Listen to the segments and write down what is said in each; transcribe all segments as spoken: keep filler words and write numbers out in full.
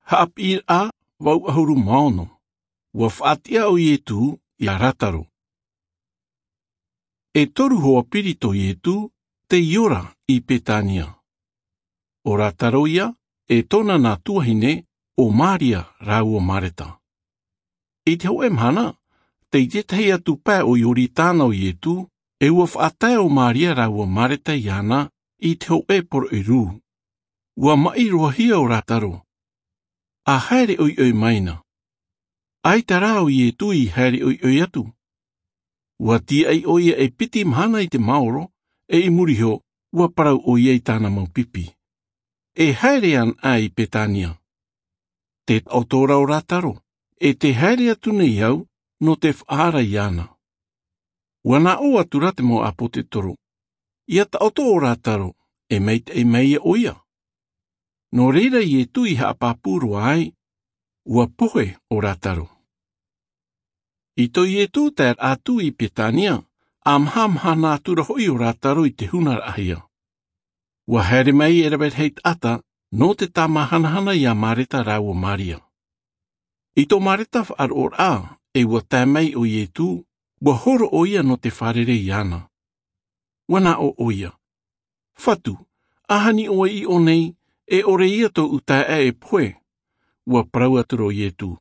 Haʻapiʻiraʻa vau ʻahuru mā ono. Ua faʻatiʻa ʻo Ietu iā Rataro. E toru hoa piri tō Ietu tei ora i Petania. ʻO Rataro ia e tōna nā tuahine, ʻo Maria rāua Mareta. I te hōʻē mahana, tei tētahi atu pae o Ioritana ʻo Ietu, e ua faʻatae ʻo Maria rāua Mareta iāna i te hōʻē poroʻi rū. Ua maʻi roa hia ʻo Rataro. A haere ʻoiʻoi mai na. ʻAita rā ʻo Ietu i haere ʻoiʻoi atu. Ua tīaʻi ʻo ia e piti mahana i te maoro, e i muri iho, ua parau ʻo ia i tāna mau pipi. E haere anaʻe i Petania. Te taʻoto ra ʻo Rataro, e te haere atu nei au, nō te faʻaara iāna. Ua nā ʻō atu ra te mau ʻāpōtetoro. ʻIa taʻoto ʻo Rataro, e maitaʻi mai ia ʻo ia. Nō reira Ietu i haʻapāpū roa ai, ua pohe ʻo Rataro. I tō Ietu taeraʻa atu i Petania, a mahamahana atu ra hoʻi ʻo Rataro i te hunaraʻahia. Ua haere mai e rave rahi taʻata, nō te tāmāhanahana iā Mareta rāua Maria. I tō Mareta faʻaroʻoraʻa, e ua tae mai ʻo Ietu, ua horo ʻo ia nō te fārerei iāna. Ua nā ʻō ʻo ia. Fatu, ʻahani ʻoe i ʻō nei, e ʻore ia tōʻu taeaʻe e pohe. Ua parau atu ra ʻo Ietu.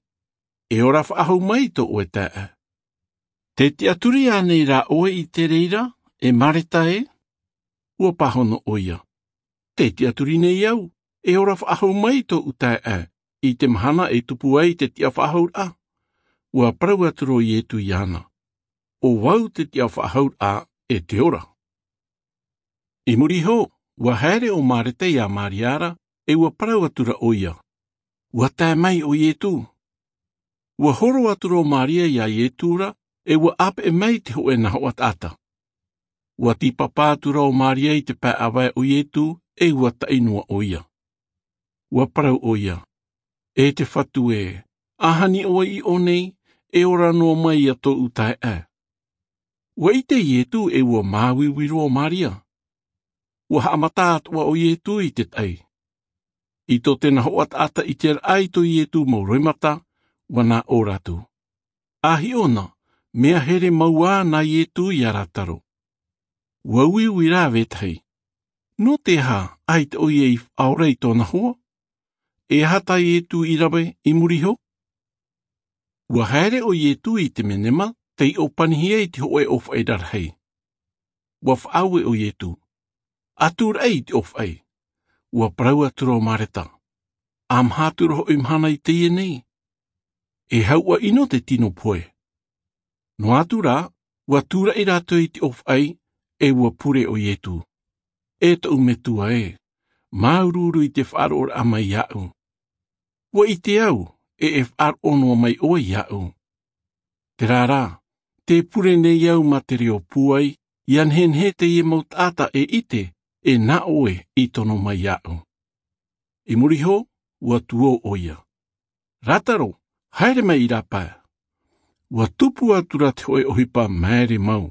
E ora faʻahou mai tō ʻoe taeaʻe. Te tiʻaturi ānei rā ʻoe i te reira, e Mareta ē? Ua pāhono ʻo ia. Te tiʻaturi nei au, e ora faʻahou mai tōʻu taeaʻe, i te mahana e tupu ai te tiʻafaʻahouraʻa. Ua parau atu ra ʻo Ietu iāna. ʻO vau te tiʻafaʻahouraʻa e te ora. I muri iho, ua haere ʻo Mareta iā Maria ra, e ua parau atu ra ʻo ia. Ua tae mai ʻo Ietu. Ua horo atu ra ʻo Maria iā Ietu ra, e ua ʻāpeʻe mai te hōʻē nahoʻa taʻata. Ua tīpapa atu ra ʻo Maria i te pae ʻāvae o Ietu, e ua taʻi noa ʻo ia. Ua parau ʻo ia. E te Fatu ē, ʻahani ʻoe i ʻō nei, e ora noa mai ia tōʻu taeaʻe. Ua ʻite Ietu e ua māuiui roa ʻo Maria. Ua haʻamata atoʻa ʻo Ietu i te taʻi. I tō te nahoʻa taʻata ʻiteraʻa i tō Ietu mau roimata, ua nā ʻō ra atu. A hiʻo na, mea here mau ā nā Ietu iā Rataro. Ua uiui rā vetahi. Nō te aha ʻaita ʻoia i faʻaora i tōna hoa? E aha tā Ietu i rave i muri iho? Ua haere ʻo Ietu i te menema, tei ʻōpanihia i te hōʻē ʻōfaʻi rarahi. Ua faʻaue ʻo Ietu. ʻA tūraʻi i te ʻōfaʻi. Ua parau atu ra ʻo Mareta. ʻA maha atu ra hoʻi mahana i teie nei. E hauʻa ʻino te tino pohe. Noa atu rā, ua tūraʻi rātou i te ʻōfaʻi, e ua pure ʻo Ietu. E tōʻu Metua ē, māuruuru i te faʻaroʻoraʻa mai iāʻu. Ua ʻite au, e e faʻaroʻo noa mai ʻoe iāʻu. Terā rā, tē pure nei au mā te reo pūai, ʻia nehenehe teie mau taʻata e ʻite, e nā ʻoe i tono mai iāʻu. I muri iho, ua tuō ʻoia. Rataro, haere mai i rāpae. Ua tupu atu ra te hōʻē ʻohipa maere mau.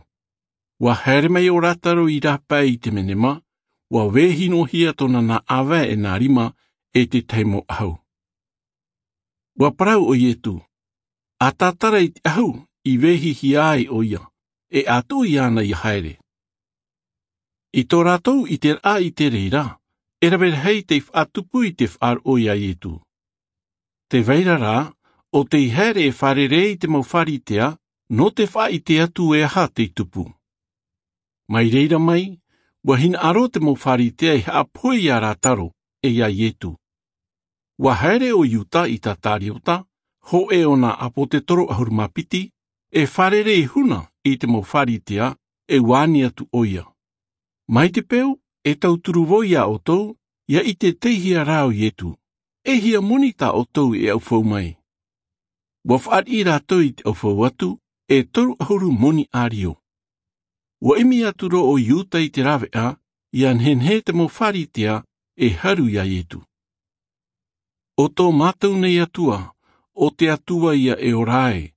Ua haere mai ʻo Rataro i rāpae i te menema, ua vehinohia tōna nā ʻāvae e nā rima e te tahi mau ʻahu. Ua parau ʻo Ietu, ʻa tātara i te ʻahu i vehihia ai ʻoia, e ʻa tuʻu iāna ʻia haere. I tō rātou ʻiteraʻa i te reira, e rave rahi tei faʻatupu i te faʻaroʻo iā Ietu. Tē vai ra rā, ʻo tei haere e fārerei i te mau Faritea, nō te faʻaʻite atu e aha tei tupu. Mai reira mai, ua hinaʻaro te mau Faritea e haʻapohe iā Rataro, e iā Ietu. Ua haere ʻo Iuta Isikariota, hōʻē o nā ʻāpōtetoro ʻahuru mā piti, e fārerei huna i te mau Faritea, e ua ani atu ʻoia. Mai te peu, e tauturu vau iā ʻoutou, ʻia ʻite tei hea rā ʻo Ietu, e hia moni tā ʻoutou e ʻaufau mai. Ua fāriʻi rātou i te ʻaufau atu, e toru ʻahuru moni ʻārio. Ua ʻimi atu ra ʻo Iuta i te rāveʻa, ʻia nehenehe te mau Faritea, e haru iā Ietu. ʻO tō mātou nei Atua, ʻo te Atua ia e ora ai,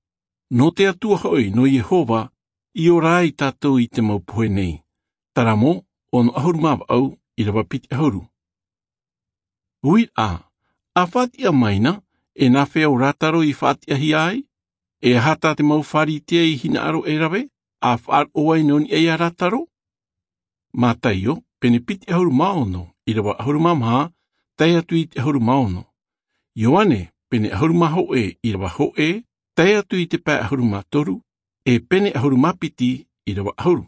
nō te Atua hoʻi nō Iehova, i ora ai tātou i te mau pohe nei. Taramo, ono ʻahuru mā vaʻu, ʻīrava piti ʻahuru. Uiraʻa, A faʻatiʻa mai na, e nā fea ʻo Lātaro i faʻatiʻahia ai? E aha tā te mau Pharisea i hinaʻaro e rave, a faʻaroʻo ai nō niʻa iā Lātaro? Mātaio, pene piti ʻahuru mā ono, ʻīrava ʻahuru mā maha, tae atu i te ʻahuru mā ono. Ioane, pene ʻahuru mā hōʻē, ʻīrava hōʻē, tae atu i te pae ʻahuru mā toru, e pene ʻahuru mā piti, ʻīrava ʻahuru.